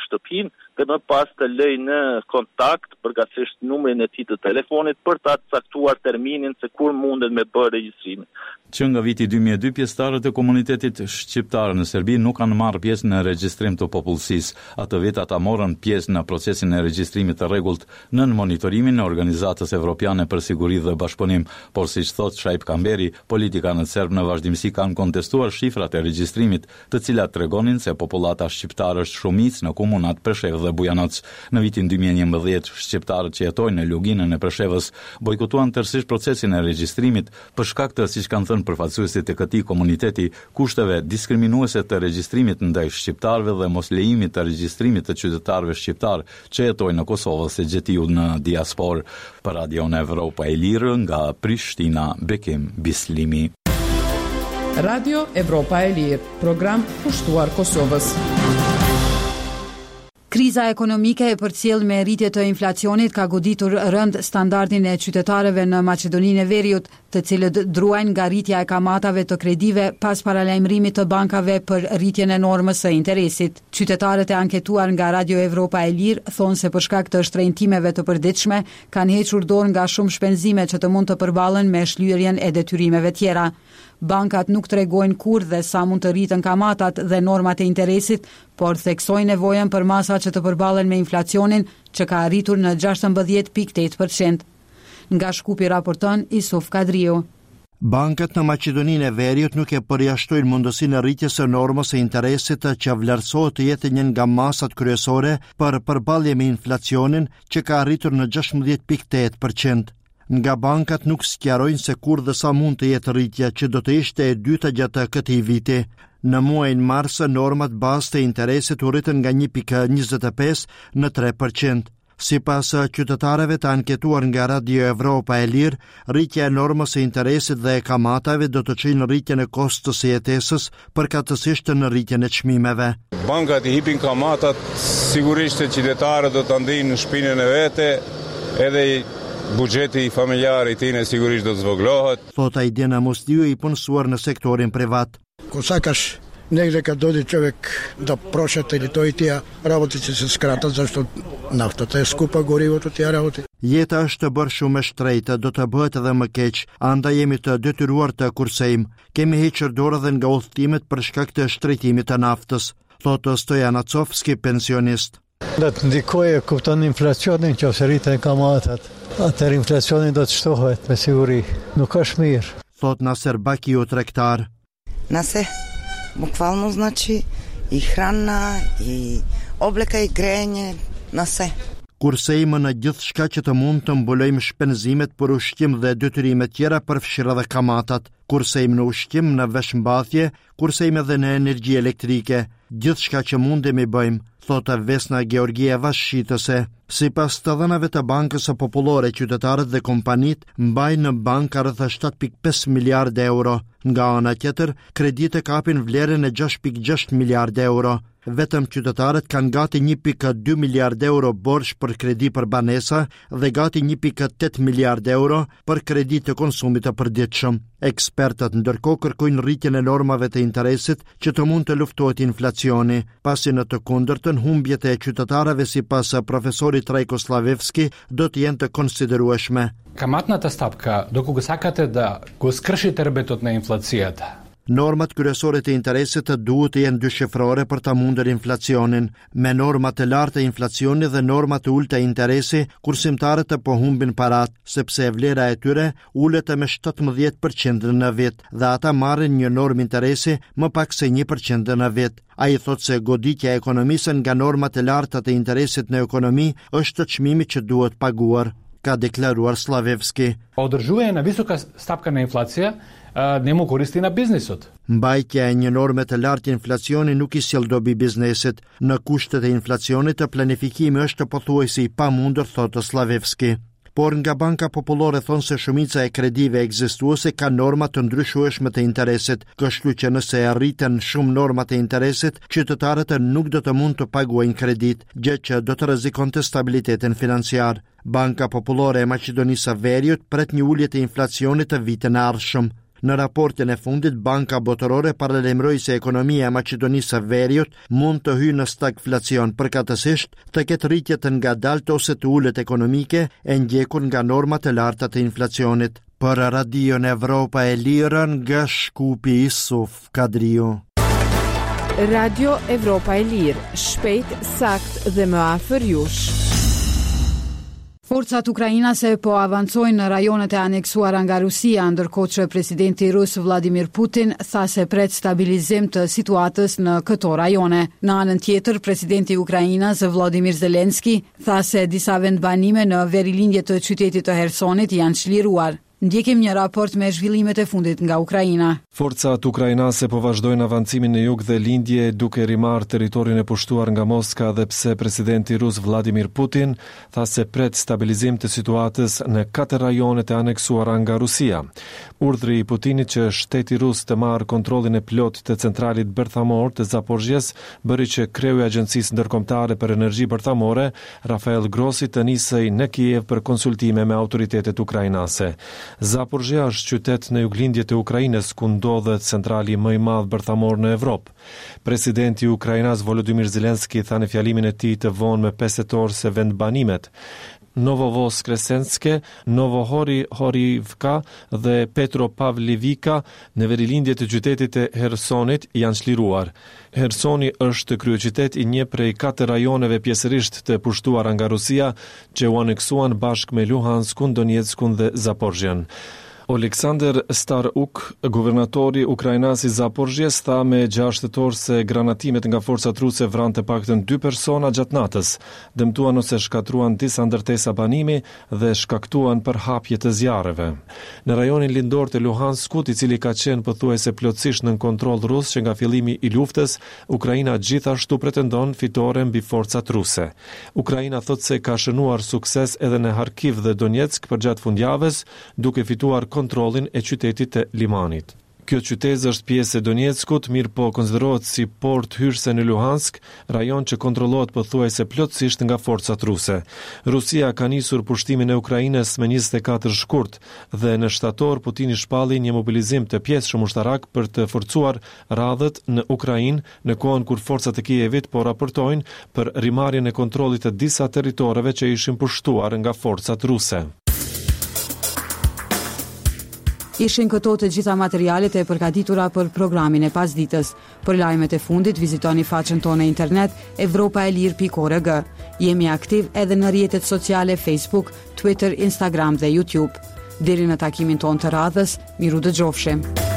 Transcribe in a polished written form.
Shtëpinë dhe më pas të lëjë në kontakt, përkatësisht numrin e tij të telefonit për ta caktuar terminin se kur mundet me bërë regjistrimin. Që nga viti 2002, pjesëtarët e komunitetit shqiptar në Serbi nuk kanë marrë pjesë në regjistrim të popullsisë. Atë vit ata morën pjesë në procesin e regjistrimit të rregullt nën monitorimin e Organizatës Evropiane për Siguri dhe Bashkëpunim, por siç thotë Shaip Kamberi, politikanët serbë në vazhdimësi kanë kontestuar shifrat e regjistrimit, të cilat tregonin se popullata shqiptare është shumicë në komunat Preshevë dhe Bujanoc. Në vitin 2011, shqiptarët që jetojnë në Luginën e Preshevës bojkotuan tërësisht procesin e regjistrimit për shkak të, siç kanë thënë përfaqësuesit e këtij komuniteti, kushteve diskriminuese të regjistrimit ndaj shqiptarëve dhe moslejimit të regjistrimit të qytetarëve shqiptarë që jetojnë në Kosovë ose gjetiu në diasporë. Për Radion Evropa e Lirë nga Prishtina, Bekim Bislimi. Radio Evropa e Lirë, program kushtuar Kosovës. Kriza ekonomike e përcjellë me rritje të inflacionit ka goditur rëndë standardin e qytetarëve në Maqedoninë e Veriut, të cilët druajnë nga rritja e kamatave të kredive pas paralajmërimit të bankave për rritjen e normës së interesit. Qytetarët e anketuar nga Radio Evropa e Lirë thonë se për shkak të shtrenjtimeve të përditshme kanë hequr dorë nga shumë shpenzime që të mund të përballen me shlyerjen e detyrimeve tjera. Bankat nuk tregojnë kur dhe sa mund të rriten kamatat dhe normat e interesit, por theksojnë nevojën për masa që të përballen me inflacionin që ka arritur në 16.8%. Nga Shkupi raporton Isuf Kadriu. Bankat në Maqedoninë e Veriut nuk e përjashtojnë mundësinë e rritjes së normës së interesit që vlerësohet të jetë një nga masat kryesore për përballje me inflacionin që ka arritur në 16.8%. Nga bankat nuk sqarojnë se kur dhe sa mund të jetë rritja që do të ishte e dyta gjatë këtij viti. Në muajin mars, normat bazë të interesit u rritën nga 1.25 në 3%. Sipas qytetarëve të anketuar nga Radio Evropa e Lirë, rritja e normës së interesit dhe e kamatave do të çojë në rritjen e kostos së jetesës, përkatësisht në rritjen e çmimeve. Bankat i hipin kamatat, sigurisht se qytetarët do ta ndijnë në shpinën e vete, edhe buxheti familjar i tyne sigurisht do të zvogëlohet. Thotë Ajdin Musliu i punësuar në sektorin privat. Ko сакаш негде kad dođe човек да прошета или тој и тија работи ќе се скратат зашто нафтата е скупа, горивото тија работи. Jeta është bërë shumë e shtrenjtë, do të bëhet edhe më keq, andaj jemi të detyruar të kursejmë. Kemi hequr dorë edhe nga udhëtimet për shkak të shtrenjtimit të naftës, thotë Stojan Acovski, pensionist. Do të ndikojë, kupton inflacionin, që ose rriten kamatat. Atëherë inflacioni do të shtohet me siguri. Nuk është mirë. Thotë Naser Bakiu, tregtar. На се, буквално значи и храна, и облека, и грејење, на се. Kursejmë në gjithçka që të mund të mbulojmë shpenzimet për ushqim dhe detyrime tjera përfshirë edhe kamatat. Kursejmë në ushqim, në veshmbathje, kursejmë edhe në energji elektrike. Gjithçka që mundemi bëjmë, thotë Vesna Georgieva shitëse. Sipas të dhënave të Bankës së Popullore, qytetarët dhe kompanitë mbajnë në banka rreth 7.5 miliard euro. Nga ana tjetër, kreditë kapin vlerën e 6.6 miliard euro. Vetëm qytetarët kanë gati 1.2 miliard euro borxh për kredi për banesa dhe gati 1.8 miliard euro për kredi të konsumit të përditshëm. Ekspertët ndërkohë kërkojnë rritjen e normave të interesit që të mund të luftohet inflacioni, pasi në të kundërtën humbjet e qytetarëve sipas profesorit Trajko Slavevski do të jenë të konsiderueshme. Каматната стапка, доколку сакате да го скршите рбетот на инфлацијата, Normat kryesore të interesit duhet të jenë dyshifrore për ta mundur inflacionin. Me norma të larta inflacioni dhe norma të ulëta interesi, kursimtarët po humbin parat, sepse vlera e tyre ulet me 17% në vit dhe ata marrin një normë interesi më pak se 1% në vit. Ai thotë se goditja e ekonomisë nga normat e larta të interesit në ekonomi është çmimi që duhet paguar, ka deklaruar Slavevski. Одржување на висока стапка на инфлација не му користи на бизнисот. Mbajtja e një norme të lartë inflacioni nuk i sjell dobi biznesit. Në kushtet e inflacionit, planifikimi është pothuajse i pamundur, thotë Slavevski. Por nga Banka Popullore thonë se shumica e kredive ekzistuese ka norma të ndryshueshme të interesit, kështu që nëse rriten shumë normat e interesit, qytetarët nuk do të mund të paguajnë kredit, gjë që do të rrezikonte stabilitetin financiar. Banka Popullore e Maqedonisë së Veriut pret një ulje të inflacionit të vitin e ardhshëm. Në raportin e fundit, Banka Botërore paralajmëroi se ekonomia e Maqedonisë së Veriut mund të hyjë në stagflacion, përkatësisht të ketë rritje të ngadaltë ose të ulët ekonomike e ndjekur nga norma të larta të inflacionit. Për Radion Evropa e Lirë nga Shkupi Isuf Kadriu. Radio Evropa e Lirë, shpejt, saktë dhe më afër jush. Forcat ukrainase po avancojnë në rajonet e aneksuara nga Rusia, ndërkohë që presidenti rus Vladimir Putin tha se pret stabilizim të situatës në këto rajone. Në anën tjetër, presidenti ukrainas Vladimir Zelensky tha se disa vendbanime në verilindje të qytetit të Hersonit janë çliruar. Ndjekim një raport me zhvillimet e fundit nga Ukraina. Forcat ukrainase po vazhdojnë avancimin në jug dhe lindje duke rimarrë territorin e pushtuar nga Moska edhe pse presidenti rus Vladimir Putin tha se pret stabilizim të situatës në katër rajonet e aneksuara nga Rusia. Urdhri i Putinit që shteti rus të marrë kontrollin e plotë të centralit bërthamor të Zaporizhjes bëri që kreu i Agjencisë Ndërkombëtare për Energji Bërthamore, Rafael Grossi të nisej në Kiev për konsultime me autoritetet ukrainase. Zaporizhia është qytet në juglindje të Ukrainës ku ndodhet centrali më i madh bërthamor në Evropë. Presidenti ukrainas Volodymyr Zelensky tha në fjalimin e tij të vonë më 5 tetor se vendbanimet Novovoskresenske, Novohryhorivka dhe Petropavlivka në verilindje të qytetit të Hersonit janë çliruar. Hersoni është kryeqytet i një prej katër rajoneve pjesërisht të pushtuara nga Rusia, që u aneksuan bashkë me Luhanskun, Donjeckun dhe Zaporizhjen. Oleksandr Starukh, guvernatori ukrainas i Zaporizhjes, tha me 6 tetor se granatimet nga forcat ruse vranë të paktën dy persona gjatë natës, dëmtuan ose shkatërruan disa ndërtesa banimi dhe shkaktuan përhapje të zjarreve. Në rajonin lindor të Luhanskut, i cili ka qenë pothuajse plotësisht nën kontroll rus që nga fillimi i luftës, Ukraina gjithashtu pretendon fitore mbi forcat ruse. Ukraina thotë se ka shënuar sukses edhe në Harkiv dhe Donetsk përgjatë fundjavës, duke fituar kontrollin e qytetit të Limanit. Kjo qytezë është pjesë e Donjeckut, mirëpo konsiderohet si portë hyrëse në Luhansk, rajon që kontrollohet pothuajse plotësisht nga forcat ruse. Rusia ka nisur pushtimin e Ukrainës më 24 shkurt dhe në shtator Putini shpalli një mobilizim të pjesshëm ushtarak për të forcuar radhët në Ukrainë në kohën kur forcat e Kievit po raportojnë për rimarrjen e kontrollit të disa territoreve që ishin pushtuar nga forcat ruse. Ishin këto të gjitha materialet e përgatitura për programin e pasditës. Për lajmet e fundit vizitoni faqen tonë në internet evropaelire.org. Jemi aktiv edhe në rrjetet sociale Facebook, Twitter, Instagram dhe YouTube. Deri në takimin tonë të radhës, mirudëgjofshim.